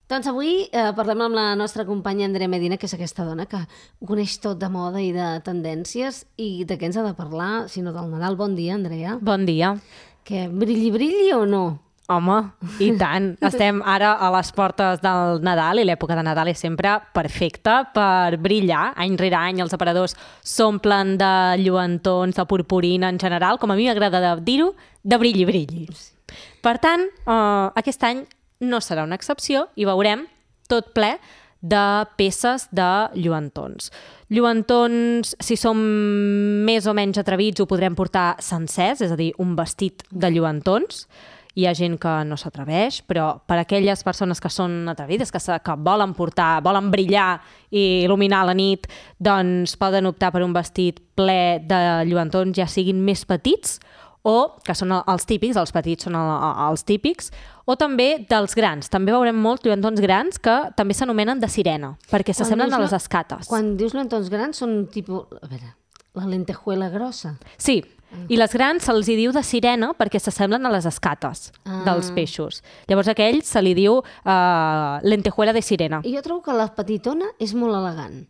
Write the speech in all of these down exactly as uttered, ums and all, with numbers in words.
Doncs avui eh, parlem amb la nostra companya Andrea Medina, que és aquesta dona que ho coneix tot de moda i de tendències i de què ens ha de parlar, sinó del Nadal. Bon dia, Andrea. Bon dia. Que brilli, brilli o no? Home, i tant. Estem ara a les portes del Nadal i l'època de Nadal és sempre perfecta per brillar. Any rere any els aparadors s'omplen de lluentons, de purpurina en general, com a mi m'agrada dir-ho, de brilli, brilli. Per tant, eh, aquest any no serà una excepció i veurem tot ple de peces de lluentons. Lluentons, si som més o menys atrevits, ho podrem portar sencers, és a dir, un vestit de lluentons. Hi ha gent que no s'atreveix, però per aquelles persones que són atrevides, que, que volen portar, volen brillar i il·luminar la nit, doncs poden optar per un vestit ple de lluentons, ja siguin més petits, o que són els típics, els petits són els típics, o també dels grans. També veurem molts lluentons grans que també s'anomenen de sirena, perquè s'assemblen a les escates. Quan dius lluentons grans són tipus... A veure, la lentejuela grossa. Sí, i les grans se'ls hi diu de sirena perquè s'assemblen a les escates ah. dels peixos. Llavors a aquells se li diu uh, lentejuela de sirena. I jo trobo que la petitona és molt elegant.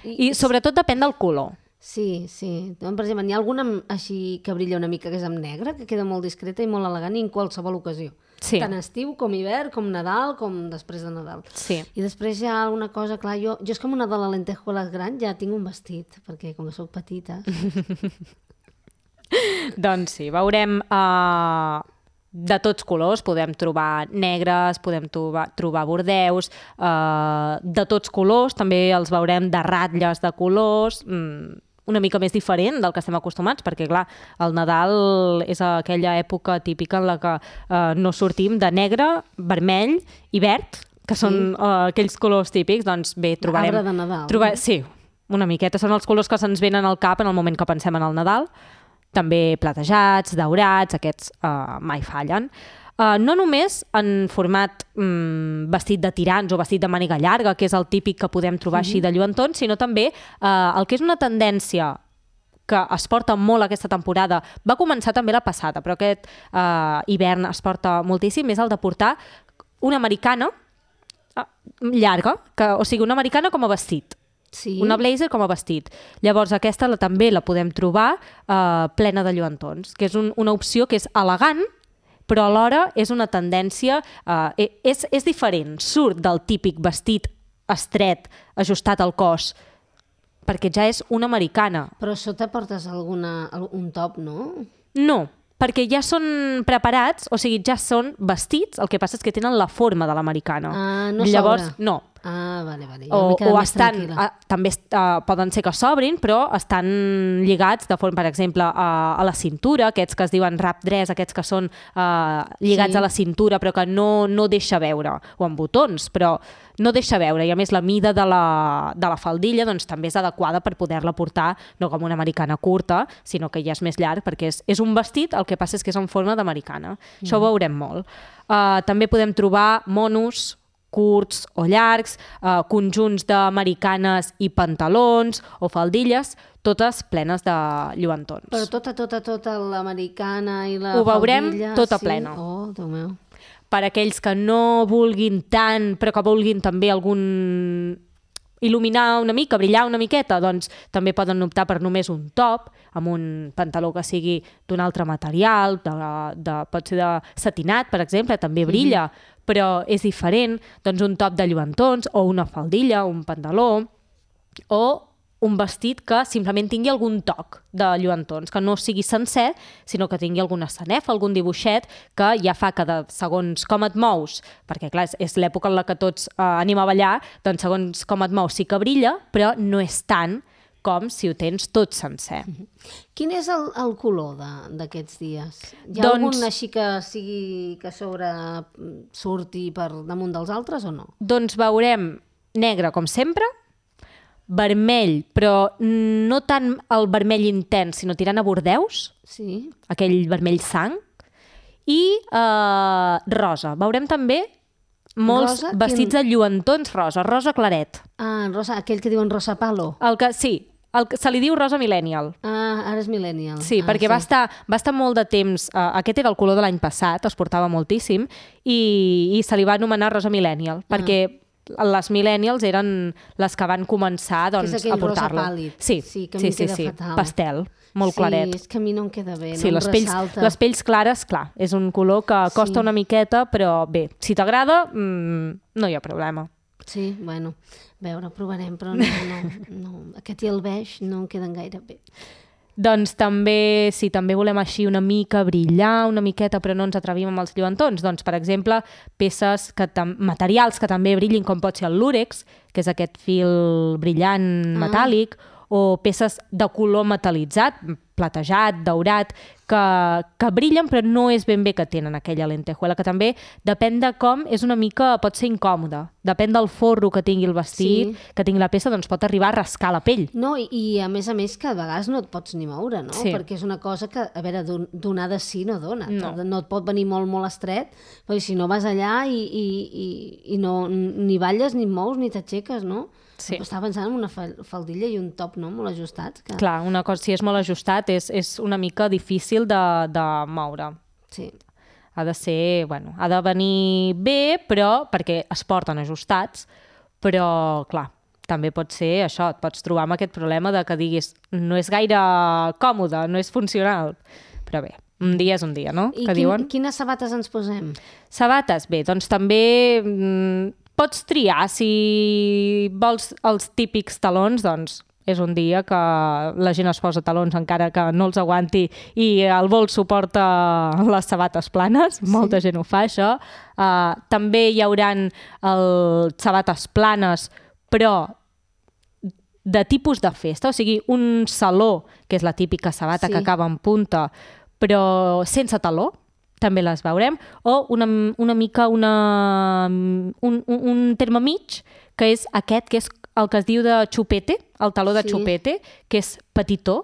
I, I sobretot depèn del color. Sí, sí. Per exemple, n'hi ha alguna així que brilla una mica, que és amb negre, que queda molt discreta i molt elegant i en qualsevol ocasió. Sí. Tant estiu com hivern, com Nadal, com després de Nadal. Sí. I després hi ha alguna cosa, clar, jo, jo és com una de les lentejueles gran, ja tinc un vestit, perquè com que soc petita... Doncs sí, veurem uh, de tots colors, podem trobar negres, podem trobar, trobar bordeus, uh, de tots colors, també els veurem de ratlles de colors, mm, una mica més diferent del que estem acostumats, perquè clar, el Nadal és aquella època típica en la que uh, no sortim de negre, vermell i verd, que són sí. uh, aquells colors típics, doncs bé, trobarem... Arbre de Nadal. Trobar, sí, una miqueta, són els colors que se'ns venen al cap en el moment que pensem en el Nadal. També platejats, daurats, aquests uh, mai fallen. Uh, no només en format um, vestit de tirants o vestit de màniga llarga, que és el típic que podem trobar mm-hmm. així de lluentons, sinó també uh, el que és una tendència que es porta molt aquesta temporada, va començar també la passada, però aquest uh, hivern es porta moltíssim, és el de portar una americana uh, llarga, que, o sigui, una americana com a vestit. Sí. Una blazer com a vestit. Llavors aquesta la, també la podem trobar eh, plena de lluentons, que és un, una opció que és elegant, però alhora és una tendència, eh, és, és diferent, surt del típic vestit estret, ajustat al cos, perquè ja és una americana. Però sota portes alguna, un top, no? No, perquè ja són preparats, o sigui, ja són vestits, el que passa és que tenen la forma de l'americana. Ah, no Llavors, s'obre. no. Ah, vale, vale. O, o estan, a, també uh, poden ser que s'obrin, però estan lligats de forma, per exemple, a, a la cintura, aquests que es diuen wrap dress, aquests que són uh, lligats sí. a la cintura, però que no, no deixa veure, o amb botons, però no deixa veure, i a més la mida de la, de la faldilla doncs, també és adequada per poder-la portar, no com una americana curta, sinó que ja és més llarg, perquè és, és un vestit, el que passa és que és en forma d'americana. Mm. Això ho veurem molt. Uh, també podem trobar monos, curts o llargs, eh, conjunts d'americanes i pantalons o faldilles, totes plenes de lluentons. Però tota, tota, tota l'americana i la Ho veurem faldilla... tota sí? plena. Oh, Déu meu. Per aquells que no vulguin tant, però que vulguin també algun... il·luminar una mica, brillar una miqueta, doncs també poden optar per només un top, amb un pantaló que sigui d'un altre material, de, de, pot ser de satinat, per exemple, també brilla, mm-hmm. però és diferent, doncs un top de lluentons, o una faldilla, un pantaló, o un vestit que simplement tingui algun toc de lluentons, que no sigui sencer, sinó que tingui alguna sanefa, algun dibuixet, que ja fa que de, segons com et mous, perquè clar, és, és l'època en la que tots eh, anem a ballar, doncs segons com et mous sí que brilla, però no és tant com si ho tens tot sencer. Quin és el, el color d'aquests dies? Hi ha doncs, algun així que sigui que sobre surti per damunt dels altres o no? Doncs veurem negre com sempre, vermell, però no tant el vermell intens, sinó tirant a bordeus, sí. aquell vermell sang, i eh, rosa. Veurem també molts rosa, vestits quin... de lluentons rosa, rosa claret. Ah, rosa, aquell que diuen rosa palo. El que, sí, el, se li diu rosa millennial. Ah, ara és millennial. Sí, ah, perquè sí. Va, estar, va estar molt de temps... Uh, aquest era el color de l'any passat, es portava moltíssim, i, i se li va anomenar rosa millennial, ah. perquè les millennials eren les que van començar doncs, a portar-lo. Rosa pàl·lid. Sí, sí, que a mi sí, queda sí, fatal. Pastel, molt sí, claret. Sí, és que a mi no em queda bé, sí, no les em pells, ressalta. les pells clares, clar, és un color que costa sí. una miqueta, però bé, si t'agrada, mmm, no hi ha problema. Sí, bueno, a veure, provarem, però no, no, no. Aquest i el beix no em queden gaire bé. Doncs també, si també volem així una mica brillar, una miqueta, però no ens atrevim amb els lluentons, doncs, per exemple, peces, que materials que també brillin, com pot ser el lúrex, que és aquest fil brillant metàl·lic, ah. o peces de color metal·litzat, platejat, daurat, que, que brillen però no és ben bé que tenen aquella lentejuela, que també depèn de com, és una mica, pot ser incòmode. Depèn del forro que tingui el vestit, sí. que tingui la peça, doncs pot arribar a rascar la pell. No, i, i a més a més que a vegades no et pots ni moure, no? Sí. Perquè és una cosa que, a veure, donada sí no dona. No. no et pot venir molt, molt estret, perquè si no vas allà i, i, i, i no, ni balles, ni mous, ni t'aixeques, no? Sí. Estava pensant en una faldilla i un top, no?, molt ajustats. Que... Clar, una cosa, si és molt ajustat és, és una mica difícil de, de moure. Sí. Ha de ser, bueno, ha de venir bé, però perquè es porten ajustats, però, clar, també pot ser això, et pots trobar amb aquest problema de que diguis no és gaire còmode, no és funcional, però bé, un dia és un dia, no? I que quin, diuen? quines sabates ens posem? Sabates, bé, doncs també... Mmm, pots triar, si vols els típics talons, doncs és un dia que la gent es posa talons encara que no els aguanti i el vol suporta les sabates planes, sí. Molta gent ho fa, això. Uh, també hi hauran el, sabates planes, però de tipus de festa, o sigui, un saló, que és la típica sabata sí. que acaba en punta, però sense taló, també les veurem, o una, una mica una, un, un, un terme mig, que és aquest, que és el que es diu de xupete, el taló de sí. xupete, que és petitó.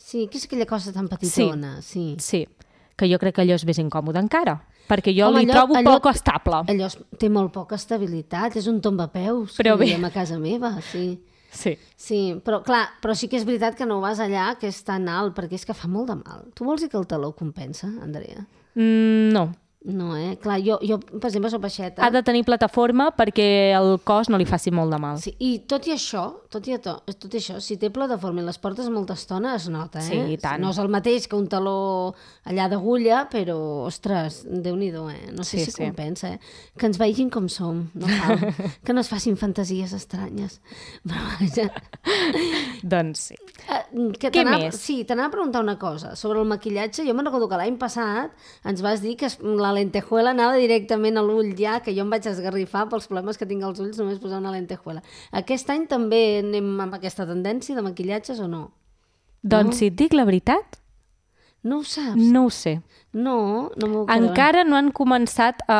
Sí, que és aquella cosa tan petitona. Sí, sí, sí, que jo crec que allò és més incòmode encara, perquè jo Home, li allò, trobo allò, poc estable. Allò té molt poca estabilitat, és un tombapeus, però que bé. dèiem a casa meva, sí. Sí. Sí, però clar, però sí que és veritat que no vas allà, que és tan alt, perquè és que fa molt de mal. Tu vols dir que el taló compensa, Andrea? Mm, no. No, eh? Clar, jo, jo per exemple, soc baixeta. Ha de tenir plataforma perquè el cos no li faci molt de mal. Sí, i tot i això, tot i, to, tot i això, si té plataforma i les portes molta estona, es nota, eh? Sí, i tant. No és el mateix que un taló allà d'agulla, però, ostres, Déu-n'hi-do, eh? No sé sí, si sí. compensa, eh? Que ens vegin com som, no cal. Que no es facin fantasies estranyes. Però, vaja... doncs sí. Uh, que Què més? Sí, t'anava a preguntar una cosa. Sobre el maquillatge, jo me'n recordo que l'any passat ens vas dir que la lentejuela anava directament a l'ull ja, que jo em vaig esgarrifar pels problemes que tinc als ulls només posar una lentejuela. Aquest any també anem amb aquesta tendència de maquillatges o no? Doncs no? si et dic la veritat... No ho saps? No ho sé. No, no m'ho creu. Encara no han començat a,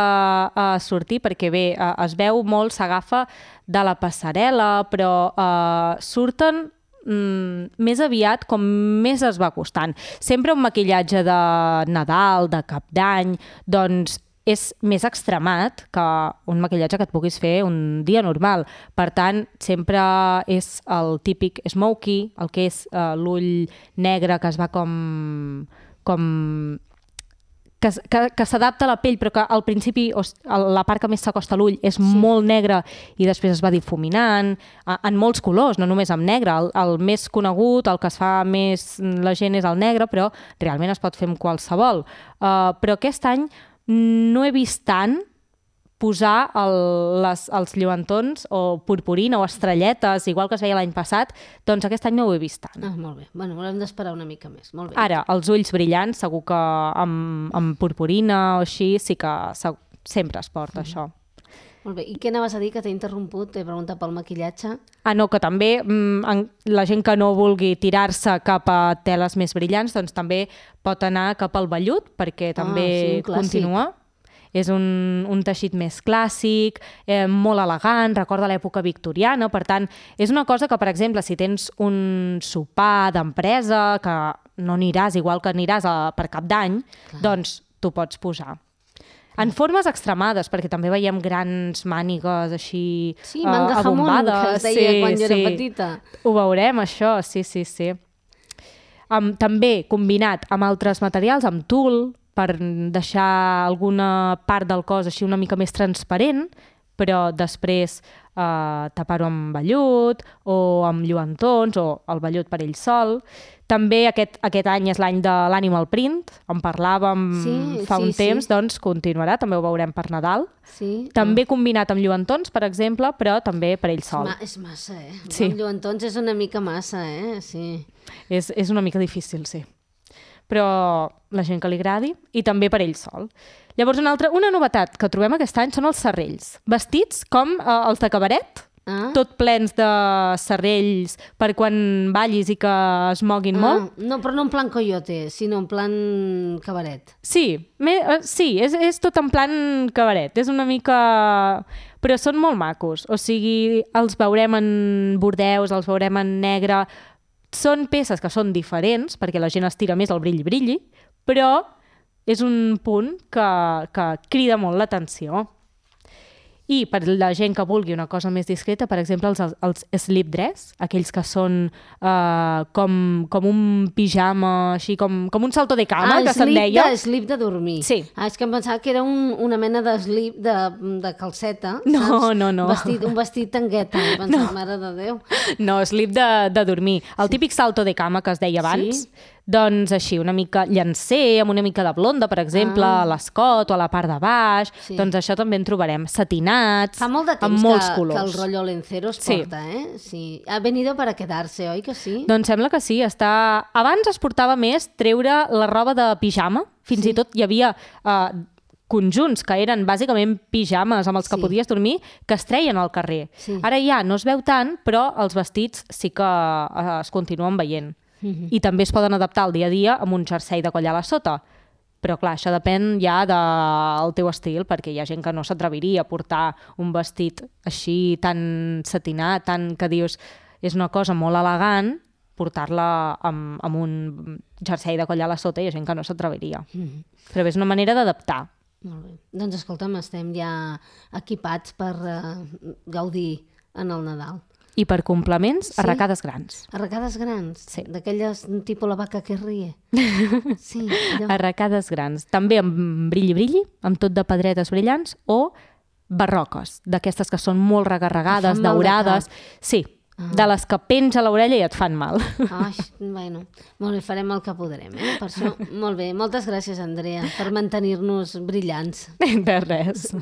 a sortir, perquè bé, es veu molt, s'agafa de la passarel·la, però uh, surten mm, més aviat com més es va costant. Sempre un maquillatge de Nadal, de Cap d'Any, doncs és més extremat que un maquillatge que et puguis fer un dia normal. Per tant, sempre és el típic smoky, el que és uh, l'ull negre que es va com... com que, que, que s'adapta a la pell, però que al principi la part que més s'acosta a l'ull és sí. molt negra i després es va difuminant, en molts colors, no només amb negre. El, el més conegut, el que es fa més la gent és el negre, però realment es pot fer amb qualsevol. Uh, però aquest any no he vist tant posar el, les, els lluentons o purpurina o estrelletes, igual que es veia l'any passat, doncs aquest any no ho he vist tant. Ah, molt bé. Bueno, haurem d'esperar una mica més. Molt bé. Ara, els ulls brillants, segur que amb, amb purpurina o així sí que se, sempre es porta mm. això. Molt bé. I què anaves a dir, que t'he interromput? T'he preguntat pel maquillatge. Ah, no, que també mm, la gent que no vulgui tirar-se cap a teles més brillants, doncs també pot anar cap al vellut, perquè també ah, sí, continua. És un, un teixit més clàssic, eh, molt elegant, recorda l'època victoriana, per tant, és una cosa que, per exemple, si tens un sopar d'empresa, que no aniràs igual que aniràs a, per Cap d'Any, doncs t'ho pots posar. En formes extremades, perquè també veiem grans mànigues així Sí, manga uh, jamón, abombades. que es deia sí, quan jo era sí. petita. Ho veurem, això, sí, sí, sí. Um, també combinat amb altres materials, amb tul, per deixar alguna part del cos així una mica més transparent, però després eh, tapar-ho amb vellut o amb lluentons o el vellut per ell sol. També aquest, aquest any és l'any de l'animal print, en parlàvem Sí, fa sí, un temps, sí. doncs continuarà, també ho veurem per Nadal. Sí. També combinat amb lluentons, per exemple, però també per ell sol. Ma, és massa, eh? Sí. Amb lluentons és una mica massa, eh? Sí. És, és una mica difícil, sí. Però la gent que li agradi, i també per ell sol. Llavors, una altra, una novetat que trobem aquest any són els serrells. Vestits com eh, els de cabaret, Ah. tot plens de serrells per quan ballis i que es moguin molt. Ah, no, però no en plan coyote, sinó en plan cabaret. Sí, me, eh, sí és, és tot en plan cabaret. És una mica... Però són molt macos. O sigui, els veurem en bordeus, els veurem en negre. Són peces que són diferents, perquè la gent estira més el brilli-brilli, però és un punt que, que crida molt l'atenció. I per la gent que vulgui una cosa més discreta, per exemple, els, els slip dress, aquells que són uh, com, com un pijama, així com, com un salto de cama, ah, que se'n deia. Ah, slip de dormir. Sí. Ah, és que em pensava que era un, una mena de slip de, de calceta, No, saps? no, no. Vestit, un vestit tangueta. Em pensava, no. Mare de Déu. No, slip de, de dormir. El sí. típic salto de cama que es deia abans, sí. Doncs així, una mica llancer, amb una mica de blonda, per exemple, ah. a l'escot o a la part de baix. Sí. Doncs això també en trobarem. Satinats, Fa molt de temps amb molts que, colors. que el rotllo lencero es Sí. porta, eh? Sí. Ha venido para quedarse, oi que sí? Doncs sembla que sí. Està... Abans es portava més treure la roba de pijama. Fins Sí. i tot hi havia uh, conjunts que eren bàsicament pijames amb els que Sí. podies dormir, que es treien al carrer. Sí. Ara ja no es veu tant, però els vestits sí que uh, es continuen veient. Mhm. I també es poden adaptar al dia a dia amb un jersei de coll a la sota. Però clar, això depèn ja del teu estil, perquè hi ha gent que no s'atreviria a portar un vestit així tan satinat, tan que dius és una cosa molt elegant, portar-la amb, amb un jersei de coll a la sota, hi ha gent que no s'atreviria. Mhm. Però bé, és una manera d'adaptar. Molt bé. Doncs escolta'm, estem ja equipats per uh, gaudir en el Nadal. I per complements, Sí. arracades grans. Arracades grans? Sí. D'aquelles tipus la vaca que rie? Sí, allò. Arracades grans. També amb brilli-brilli, amb tot de pedretes brillants, o barroques, d'aquestes que són molt regarregades, Que fan mal de daurades. Sí, Ah. de les que penja l'orella i et fan mal. Ai, bueno, molt bé, farem el que podrem, eh? Per això, molt bé. Moltes gràcies, Andrea, per mantenir-nos brillants. De res.